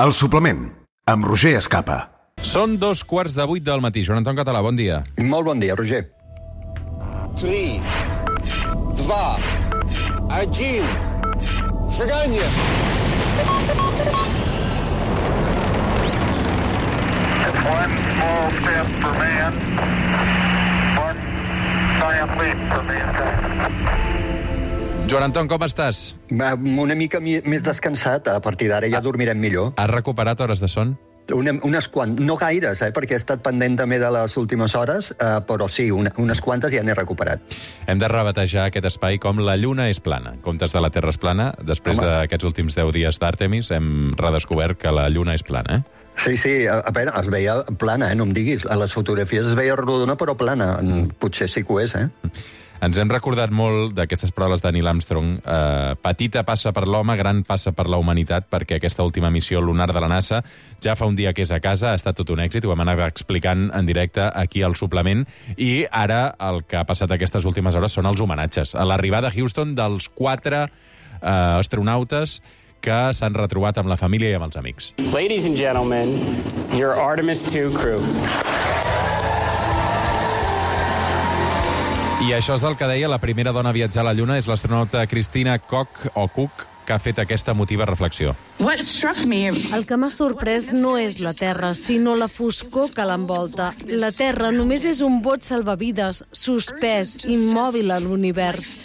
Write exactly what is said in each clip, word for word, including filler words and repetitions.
El suplement, amb Roger Escapa. Són dos quarts de vuit del matí. Joan Anton Català, bon dia. Molt bon dia, Roger. Три, два, один. Шагание. It's one small step for man, one giant leap for mankind. Joan Anton, com estàs? Va, una mica mi- més descansat, a partir d'ara ja dormirem millor. Has recuperat hores de son? Una, unes quantes, no gaires, eh, perquè he estat pendent també de les últimes hores, eh, però sí, una, unes quantes ja n'he recuperat. Hem de rebatejar aquest espai com La Lluna és plana. En comptes de La Terra és plana, després Home. d'aquests últims deu dies d'Àrtemis, hem redescobert que la Lluna és plana, eh? Sí, sí, a, a veure, es veia plana, eh, no em diguis. A les fotografies es veia rodona, però plana. Potser sí que ho és, eh? Ens hem recordat molt d'aquestes paraules de Neil Armstrong. Eh, petita passa per l'home, gran passa per la humanitat, perquè aquesta última missió lunar de la NASA ja fa un dia que és a casa, ha estat tot un èxit, ho vam anar explicant en directe aquí al suplement, i ara el que ha passat aquestes últimes hores són els homenatges. A l'arribada a Houston dels quatre eh, astronautes que s'han retrobat amb la família i amb els amics. Ladies and gentlemen, your Artemis two crew. I això és el que deia la primera dona a viatjar a la Lluna, és l'astronauta Christina Koch, o Cook, que ha fet aquesta emotiva reflexió. El que m'ha sorprès no és la Terra, sinó la foscor que l'envolta. La Terra només és un bot salvavides, suspès, immòbil a l'univers.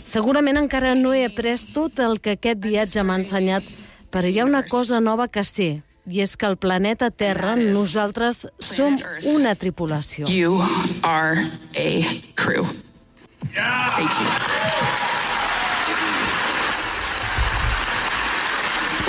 Segurament encara no he après tot el que aquest viatge m'ha ensenyat, però hi ha una cosa nova que sé, i és que el planeta Terra, nosaltres, som una tripulació. You are a crew. Thank you.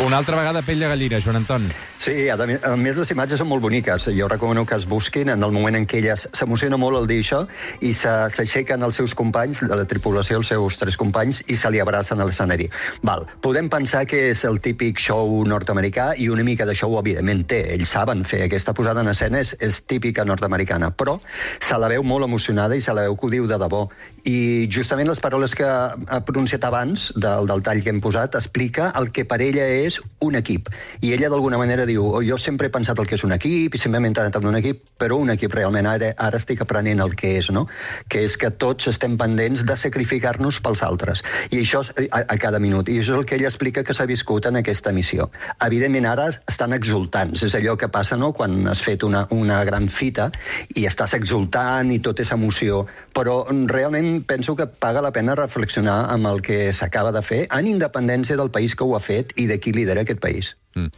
Una altra vegada pell de gallina, Joan Anton. Sí, a més, a més les imatges són molt boniques. Jo recomano que es busquin en el moment en què ella s'emociona molt al dir això i se- s'aixequen els seus companys, de la tripulació, els seus tres companys, i se li abracen a l'escenari. Val, podem pensar que és el típic show nord-americà i una mica de show, evidentment, té. Ells saben fer aquesta posada en escena, és, és típica nord-americana, però se la veu molt emocionada i se la veu que ho diu de debò. I justament les paraules que ha pronunciat abans, del, del tall que hem posat, explica el que per ella és un equip. I ella, d'alguna manera, diu: oh, jo sempre he pensat el que és un equip i sempre m'he entrenat en un equip, però un equip realment ara, ara estic aprenent el que és, no? Que és que tots estem pendents de sacrificar-nos pels altres. I això a, a cada minut. I això és el que ella explica que s'ha viscut en aquesta missió. Evidentment, ara estan exultants. És allò que passa, no?, quan has fet una, una gran fita i estàs exultant i tot és emoció. Però realment penso que paga la pena reflexionar amb el que s'acaba de fer, en independència del país que ho ha fet i de qui lidera aquest país. Mm.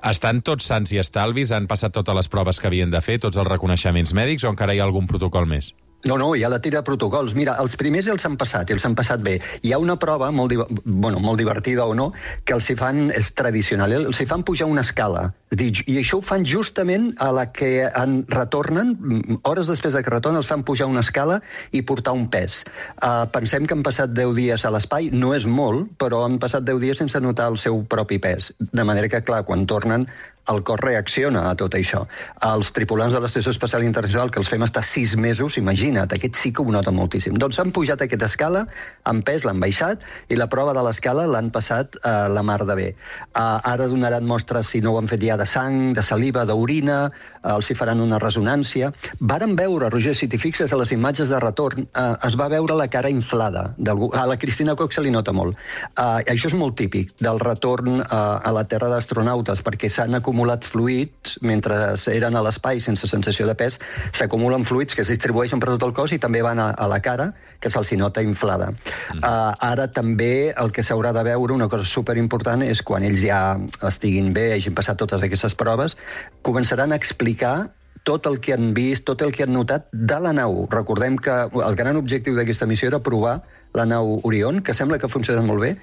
Estan tots sants i estalvis? Han passat totes les proves que havien de fer, tots els reconeixements mèdics, o encara hi ha algun protocol més? No, no, hi ha la tira de protocols. Mira, els primers els han passat, i els han passat bé. Hi ha una prova, molt, div bueno, molt divertida o no, que els hi fan, és tradicional, els hi fan pujar una escala. I això ho fan justament a la que en retornen, hores després de que retornen, els fan pujar una escala i portar un pes. Uh, pensem que han passat deu dies a l'espai, no és molt, però han passat deu dies sense notar el seu propi pes. De manera que, clar, quan tornen, el cos reacciona a tot això. Els tripulants de l'Estació Espacial Internacional, que els fem estar sis mesos, imagina't, aquests sí que ho noten moltíssim. Doncs han pujat aquesta escala, en pes l'han baixat, i la prova de l'escala l'han passat a uh, la mar de bé. Uh, ara donaran mostres, si no ho han fet ja, de sang, de saliva, d'orina, uh, els hi faran una resonància. Varen veure, Roger, si t'hi fixes a les imatges de retorn, uh, es va veure la cara inflada. A la Christina Koch se li nota molt. Uh, això és molt típic del retorn uh, a la Terra d'astronautes, perquè s'han acumulat acumulat fluids mentre eren a l'espai sense sensació de pes, s'acumulen fluids que es distribueixen per tot el cos i també van a, a la cara, que se'ls nota inflada. Mm. Uh, ara també el que s'haurà de veure, una cosa superimportant, és quan ells ja estiguin bé, hagin passat totes aquestes proves, començaran a explicar tot el que han vist, tot el que han notat de la nau. Recordem que el gran objectiu d'aquesta missió era provar la nau Orion, que sembla que funciona molt bé.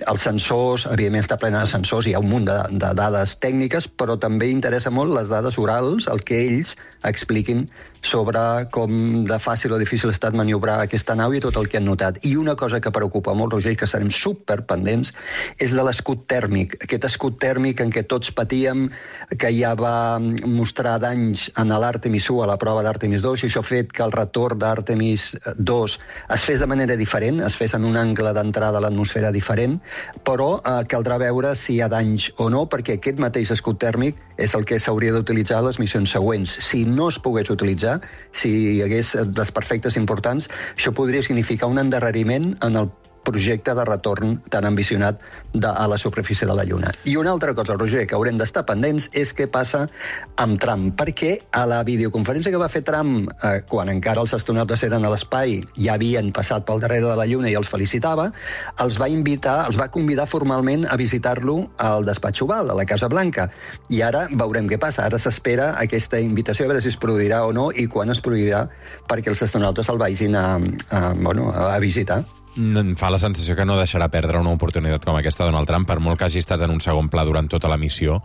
Els sensors, evidentment està plena de sensors, hi ha un munt de, de dades tècniques, però també interessa molt les dades orals, el que ells expliquin sobre com de fàcil o difícil ha estat maniobrar aquesta nau i tot el que han notat. I una cosa que preocupa molt, Roger, i que serem superpendents, és de l'escut tèrmic. Aquest escut tèrmic en què tots patíem, que ja va mostrar danys en l'Artemis u, a la prova d'Artemis dos, i això ha fet que el retorn d'Artemis dos es fes de manera diferent, es fes en un angle d'entrada a l'atmosfera diferent, però eh, caldrà veure si hi ha danys o no, perquè aquest mateix escut tèrmic és el que s'hauria d'utilitzar a les missions següents. Si no es pogués utilitzar, si hi hagués desperfectes importants, això podria significar un endarreriment en el projecte de retorn tan ambicionat de, a la superfície de la Lluna. I una altra cosa, Roger, que haurem d'estar pendents és què passa amb Trump, perquè a la videoconferència que va fer Trump eh, quan encara els astronautes eren a l'espai, ja havien passat pel darrere de la Lluna i els felicitava, els va invitar, els va convidar formalment a visitar-lo al despatx Oval, a la Casa Blanca. I ara veurem què passa. Ara s'espera aquesta invitació, a veure si es produirà o no i quan es produirà perquè els astronautes el vagin a, a, bueno, a visitar. Em fa la sensació que no deixarà perdre una oportunitat com aquesta Donald Trump, per molt que hagi estat en un segon pla durant tota la missió,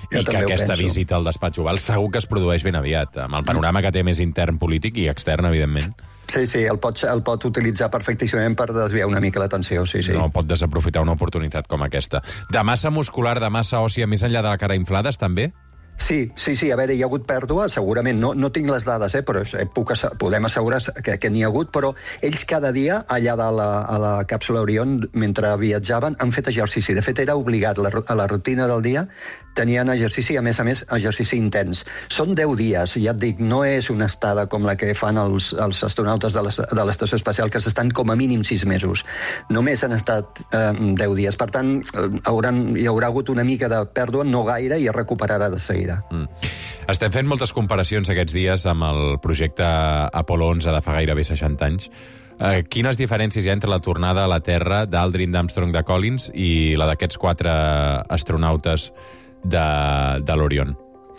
jo i que aquesta visita al despatx Oval segur que es produeix ben aviat, amb el panorama que té més intern polític i extern, evidentment. Sí, sí, el pot, el pot utilitzar perfectíssimament per desviar una mica l'atenció, sí, sí. No pot desaprofitar una oportunitat com aquesta. De massa muscular, de massa òssia, més enllà de la cara inflades, també? Sí, sí, sí, a veure, hi ha hagut pèrdua, segurament, no, no tinc les dades, eh, però puc, podem assegurar que, que n'hi ha hagut, però ells cada dia, allà de la, a la càpsula Orion, mentre viatjaven, han fet exercici. De fet, era obligat, la, a la rutina del dia tenien exercici, a més a més, exercici intens. Són deu dies, ja et dic, no és una estada com la que fan els, els astronautes de l'estació espacial, que s'estan com a mínim sis mesos. Només han estat eh, deu dies. Per tant, hauran, hi haurà hagut una mica de pèrdua, no gaire, i es recuperarà de seguida. Mm. Estem fent moltes comparacions aquests dies amb el projecte Apollo onze de fa gairebé seixanta anys. Eh, quines diferències hi ha entre la tornada a la Terra d'Aldrin, d'Armstrong, de Collins i la d'aquests quatre astronautes de, de l'Orion?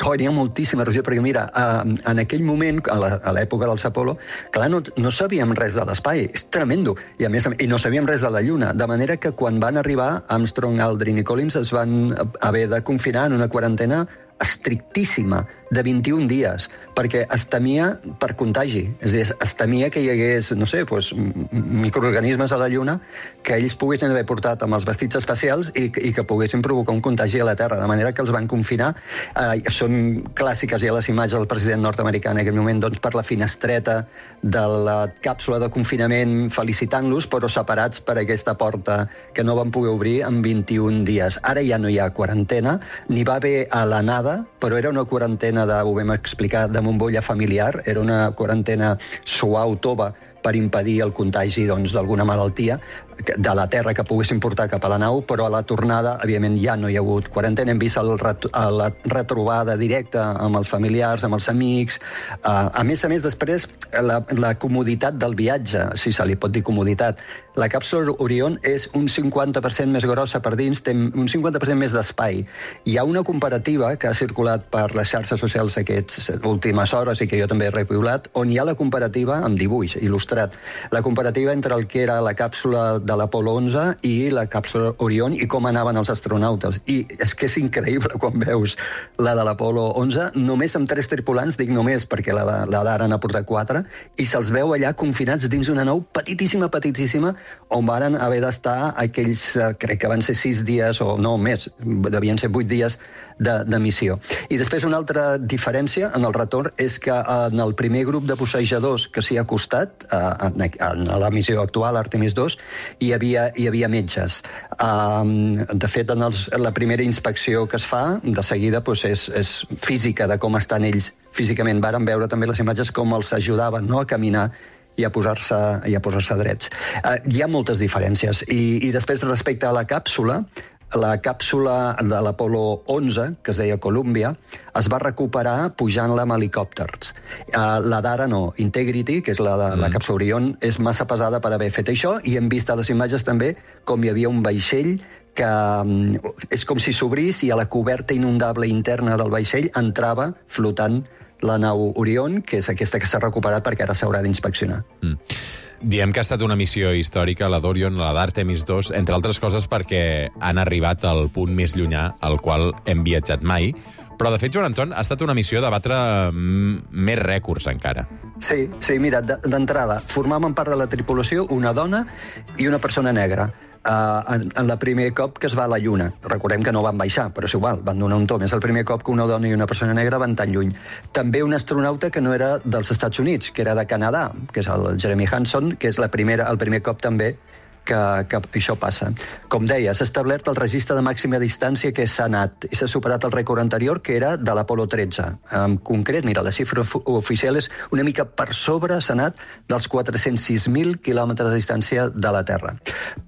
Oh, n'hi ha moltíssima, Roger, perquè mira, uh, en aquell moment, a l'època dels Apollo, clar, no, no sabíem res de l'espai, és tremendo, i a més, i no sabíem res de la Lluna, de manera que quan van arribar, Armstrong, Aldrin i Collins es van haver de confinar en una quarantena estrictíssima, de vint-i-un dies, perquè es temia per contagi. És a dir, es temia que hi hagués, no sé, doncs, microorganismes a la Lluna que ells poguessin haver portat amb els vestits espacials i, i que poguessin provocar un contagi a la Terra, de manera que els van confinar. Eh, són clàssiques ja les imatges del president nord-americà en aquell moment, doncs, per la finestreta de la càpsula de confinament felicitant-los, però separats per aquesta porta que no van poder obrir en vint-i-un dies. Ara ja no hi ha quarantena, n'hi va haver a l'anada, però era una quarantena de, ho vam explicar, de bombolla familiar, era una quarantena suau, tova, per impedir el contagi doncs, d'alguna malaltia de la Terra que poguessin portar cap a la nau, però a la tornada, evidentment, ja no hi ha hagut quarantena. Hem vist el ret la retrobada directa amb els familiars, amb els amics. Uh, a més a més, després, la, la comoditat del viatge, si se li pot dir comoditat. La càpsula Orion és un cinquanta per cent més grossa per dins, té un cinquanta per cent més d'espai. Hi ha una comparativa que ha circulat per les xarxes socials aquestes últimes hores i que jo també he repiulat, on hi ha la comparativa amb dibuix il·lustrat. La comparativa entre el que era la càpsula de l'Apollo onze i la càpsula Orion i com anaven els astronautes. I és que és increïble quan veus la de l'Apollo onze, només amb tres tripulants, dic només perquè la, la d'ara n'ha portat quatre, i se'ls veu allà confinats dins una nau petitíssima, petitíssima, on varen haver d'estar aquells, crec que van ser sis dies, o no, més, devien ser vuit dies de, de missió. I després una altra diferència en el retorn és que en el primer grup de bussejadors que s'hi ha acostat, en, en la missió actual, Artemis dos, hi havia, hi havia metges. Um, de fet, en els, la primera inspecció que es fa, de seguida, doncs és, és física de com estan ells físicament. Varen veure també les imatges com els ajudaven, no?, a caminar i a posar-se i a posar-se drets. Uh, hi ha moltes diferències. I, I després, respecte a la càpsula, la càpsula de l'Apollo onze, que es deia Columbia, es va recuperar pujant-la amb helicòpters. Uh, la d'ara no. Integrity, que és la de la càpsula Orion, és massa pesada per haver fet això, i hem vist a les imatges també com hi havia un vaixell que um, és com si s'obrís i a la coberta inundable interna del vaixell entrava flotant la nau Orion, que és aquesta que s'ha recuperat perquè ara s'haurà d'inspeccionar. Mm. Diem que ha estat una missió històrica, la d'Orion, la d'Artemis dos, entre altres coses perquè han arribat al punt més llunyà al qual hem viatjat mai. Però, de fet, Joan Anton, ha estat una missió de batre més rècords encara. Sí, sí, mira, d'entrada, formaven part de la tripulació una dona i una persona negra. Uh, en, en el primer cop que es va a la Lluna. Recordem que no van baixar, però és igual, van donar un tom. És el primer cop que una dona i una persona negra van tan lluny. També un astronauta que no era dels Estats Units, que era de Canadà, que és el Jeremy Hansen, que és la primera, el primer cop també que, que això passa. Com deia, s'ha establert el registre de màxima distància que s'ha anat i s'ha superat el rècord anterior, que era de l'Apolo tretze. En concret, mira, la xifra oficial és una mica per sobre, s'ha anat dels quatre-cents sis mil quilòmetres de distància de la Terra.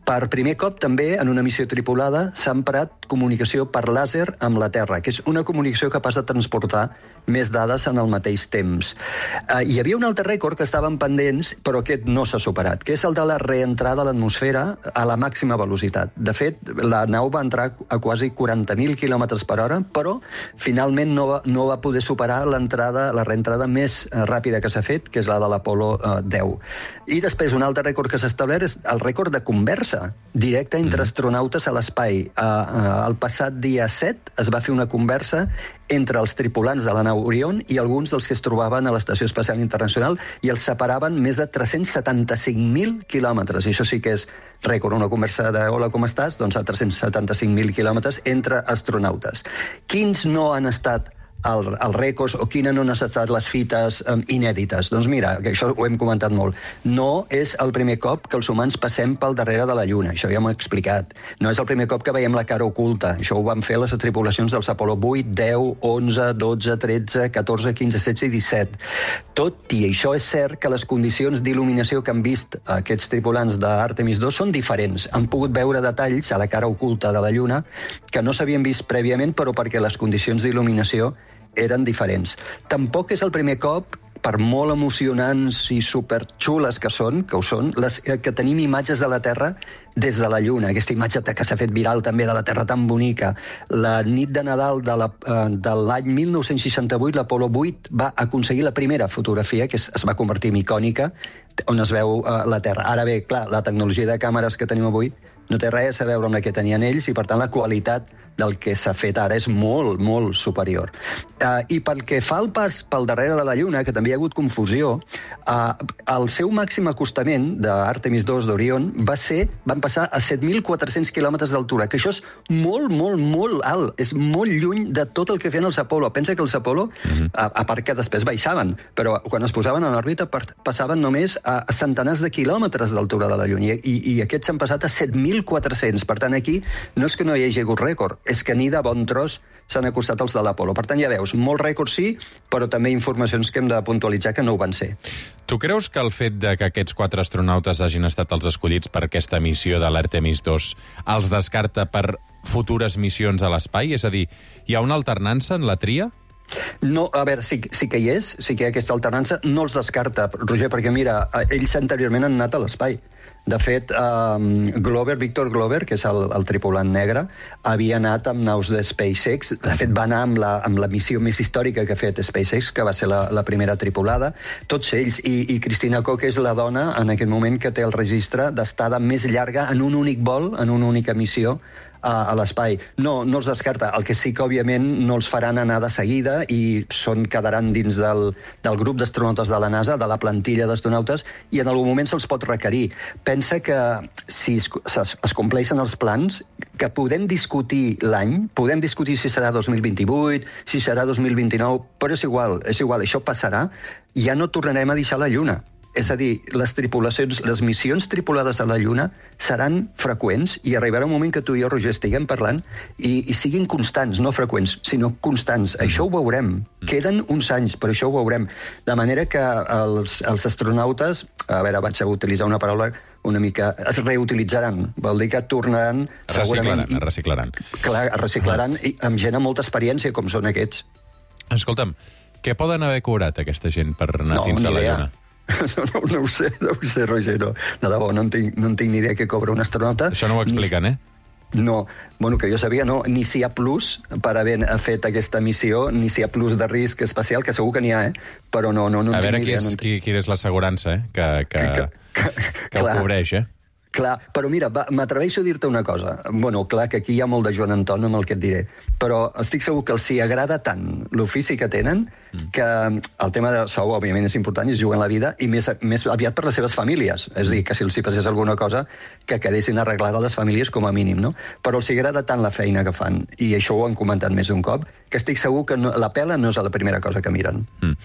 Per primer cop, també, en una missió tripulada, s'ha emprat comunicació per làser amb la Terra, que és una comunicació capaç de transportar més dades en el mateix temps. Uh, hi havia un altre rècord que estaven pendents, però aquest no s'ha superat, que és el de la reentrada a l'atmosfera a la màxima velocitat. De fet, la nau va entrar a quasi quaranta mil quilòmetres per hora, però finalment no va, no va poder superar l'entrada, la reentrada més uh, ràpida que s'ha fet, que és la de l'Apolo uh, deu. I després, un altre rècord que s'ha establert és el rècord de conversa directa entre astronautes a l'espai. Uh, uh, el passat dia set es va fer una conversa entre els tripulants de la nau Orion i alguns dels que es trobaven a l'Estació Espacial Internacional i els separaven més de tres-cents setanta-cinc mil quilòmetres. I això sí que és rècord, una conversa de hola, com estàs? Doncs a tres-cents setanta-cinc mil quilòmetres entre astronautes. Quins no han estat el, els rècords o quines no han estat les fites um, inèdites? Doncs mira, que això ho hem comentat molt. No és el primer cop que els humans passem pel darrere de la Lluna, això ja m'ho he explicat. No és el primer cop que veiem la cara oculta, això ho van fer les tripulacions dels Apolo vuit, deu, onze, dotze, tretze, catorze, quinze, setze i disset. Tot i això és cert que les condicions d'il·luminació que han vist aquests tripulants d'Artemis dos són diferents. Han pogut veure detalls a la cara oculta de la Lluna que no s'havien vist prèviament, però perquè les condicions d'il·luminació eren diferents. Tampoc és el primer cop, per molt emocionants i superxules que són, que ho són, les, que tenim imatges de la Terra des de la Lluna. Aquesta imatge que s'ha fet viral també de la Terra tan bonica. La nit de Nadal de la, eh, de l'any mil nou-cents seixanta-vuit, l'Apolo vuit va aconseguir la primera fotografia, que es, es va convertir en icònica, on es veu eh, la Terra. Ara bé, clar, la tecnologia de càmeres que tenim avui no té res a veure amb la que tenien ells i, per tant, la qualitat del que s'ha fet ara és molt, molt superior. Uh, I pel que fa al pas pel darrere de la Lluna, que també hi ha hagut confusió, uh, el seu màxim acostament d'Artemis dos d'Orion va ser, van passar a set mil quatre-cents quilòmetres d'altura, que això és molt, molt, molt alt. És molt lluny de tot el que feien els Apolo. Pensa que els Apolo, mm-hmm. a, a part que després baixaven, però quan es posaven en òrbita passaven només a, a centenars de quilòmetres d'altura de la Lluna, i, i aquests s'han passat a set mil quatre-cents. Per tant, aquí no és que no hi hagi hagut rècord, és que ni de bon tros s'han acostat els de l'Apolo. Per tant, ja veus, molts rècords sí, però també informacions que hem de puntualitzar que no ho van ser. Tu creus que el fet de que aquests quatre astronautes hagin estat els escollits per aquesta missió de l'Artemis dos els descarta per futures missions a l'espai? És a dir, hi ha una alternança en la tria? No, a veure, sí, sí que hi és, sí que hi ha aquesta alternança, no els descarta, Roger, perquè mira, ells anteriorment han anat a l'espai. De fet, um, Glover, Victor Glover, que és el, el tripulant negre, havia anat amb naus de SpaceX. De fet, va anar amb la, amb la missió més històrica que ha fet SpaceX, que va ser la, la primera tripulada. Tots ells. I, i Christina Koch és la dona, en aquest moment, que té el registre d'estada més llarga en un únic vol, en una única missió, a, a l'espai. No, no els descarta. El que sí que, òbviament, no els faran anar de seguida i són, quedaran dins del, del grup d'astronautes de la NASA, de la plantilla d'astronautes, i en algun moment se'ls pot requerir. Pensa que si es, es, es compleixen els plans, que podem discutir l'any, podem discutir si serà dos mil vint-i-vuit, si serà dos mil vint-i-nou, però és igual, és igual, això passarà, ja no tornarem a deixar la Lluna. És a dir, les tripulacions, les missions tripulades a la Lluna seran freqüents i arribarà un moment que tu i jo, Roger, estiguem parlant i, i siguin constants, no freqüents, sinó constants. Això ho veurem. Queden uns anys, però això ho veurem. De manera que els, els astronautes, a veure, vaig a utilitzar una paraula una mica, es reutilitzaran. Vol dir que tornaran... Reciclaran, es reciclaran. Clar, es reciclaran i amb gent amb molta experiència, com són aquests. Escolta'm, què poden haver cobrat aquesta gent per anar no, fins a la Lluna? No, no, no ho sé, no ho sé, Roger, no. De debò, no en tinc, no en tinc ni idea què cobra un astronauta. Això no ho expliquen, ni... eh? No, bueno, que jo sabia, no, ni si hi ha plus per haver fet aquesta missió, ni si hi ha plus de risc especial, que segur que n'hi ha, eh? Però no, no, no A veure tinc qui idea, és, no en tinc. qui, qui és l'assegurança, eh? Que, que, Que- que, que- que ho clar. cobreix, eh? Clar, però mira, va, m'atreveixo a dir-te una cosa. Bueno, clar, que aquí hi ha molt de Joan Anton amb el que et diré, però estic segur que els hi agrada tant l'ofici que tenen que el tema de sou, òbviament, és important i es juguen la vida, i més, més aviat per les seves famílies. És a dir, que si els hi passés alguna cosa, que quedessin arreglades les famílies com a mínim, no? Però els hi agrada tant la feina que fan, i això ho han comentat més d'un cop, que estic segur que no, la pela no és la primera cosa que miren. Mm.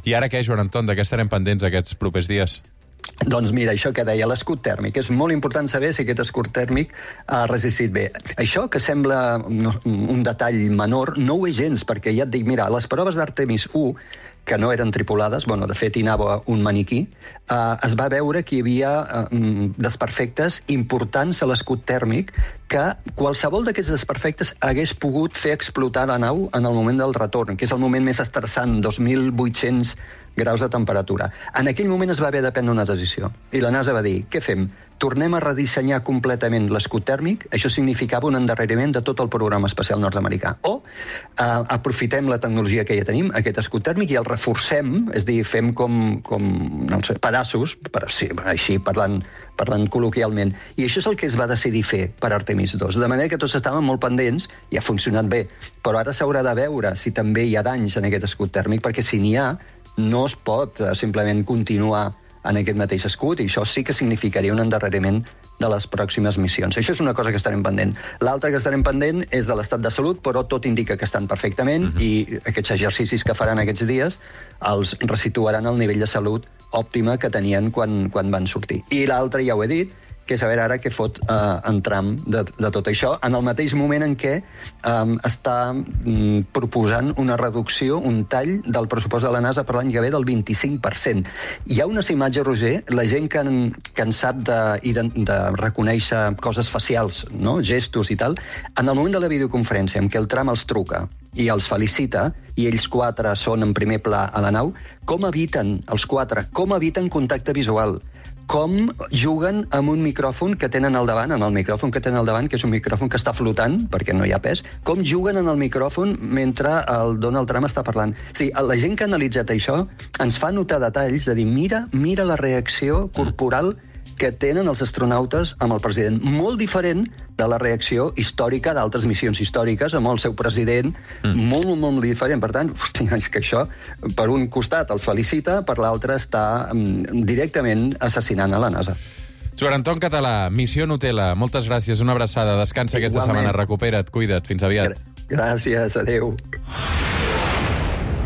I ara què, Joan Anton? De què estarem pendents aquests propers dies? Doncs mira, això que deia, l'escut tèrmic. És molt important saber si aquest escut tèrmic ha resistit bé. Això que sembla no, un detall menor, no ho és gens, perquè ja et dic, mira, les proves d'Artemis u, que no eren tripulades, bueno, de fet hi anava un maniquí, eh, es va veure que hi havia eh, desperfectes importants a l'escut tèrmic que qualsevol d'aquests desperfectes hagués pogut fer explotar la nau en el moment del retorn, que és el moment més estressant, dos mil vuit-cents graus de temperatura. En aquell moment es va haver de prendre una decisió. I la NASA va dir, què fem? Tornem a redissenyar completament l'escut tèrmic? Això significava un endarreriment de tot el programa espacial nord-americà. O eh, aprofitem la tecnologia que ja tenim, aquest escut tèrmic, i el reforcem, és a dir, fem com, com no sé, pedaços, per, sí, així parlant, parlant col·loquialment. I això és el que es va decidir fer per Artemis dos. De manera que tots estaven molt pendents, i ha funcionat bé, però ara s'haurà de veure si també hi ha danys en aquest escut tèrmic, perquè si n'hi ha, no es pot eh, simplement continuar en aquest mateix escut, i això sí que significaria un endarreriment de les pròximes missions. Això és una cosa que estarem pendent. L'altra que estarem pendent és de l'estat de salut, però tot indica que estan perfectament, uh-huh. i aquests exercicis que faran aquests dies els resituaran al nivell de salut òptima que tenien quan, quan van sortir. I l'altre, ja ho he dit, que és a veure ara què fot eh, en Trump de, de tot això, en el mateix moment en què eh, està mm, proposant una reducció, un tall del pressupost de la NASA per l'any que ve del vint-i-cinc per cent. Hi ha unes imatges, Roger, la gent que en, que en sap de, de, de reconèixer coses facials, no? Gestos i tal, en el moment de la videoconferència en què el Trump els truca i els felicita, i ells quatre són en primer pla a la nau, com eviten, els quatre, com eviten contacte visual, com juguen amb un micròfon que tenen al davant, amb el micròfon que tenen al davant, que és un micròfon que està flotant, perquè no hi ha pes, com juguen en el micròfon mentre el Donald Trump està parlant. O sigui, la gent que ha analitzat això ens fa notar detalls de dir, mira, mira la reacció corporal que tenen els astronautes amb el president. Molt diferent de la reacció històrica d'altres missions històriques amb el seu president. Mm. Molt, molt, molt diferent. Per tant, hòstia, és que això, per un costat els felicita, per l'altre està um, directament assassinant a la NASA. Joan Anton Català, Missió Nutella, moltes gràcies, una abraçada, descansa aquesta Igualment. setmana, recupera't, cuida't, fins aviat. Gràcies, adeu.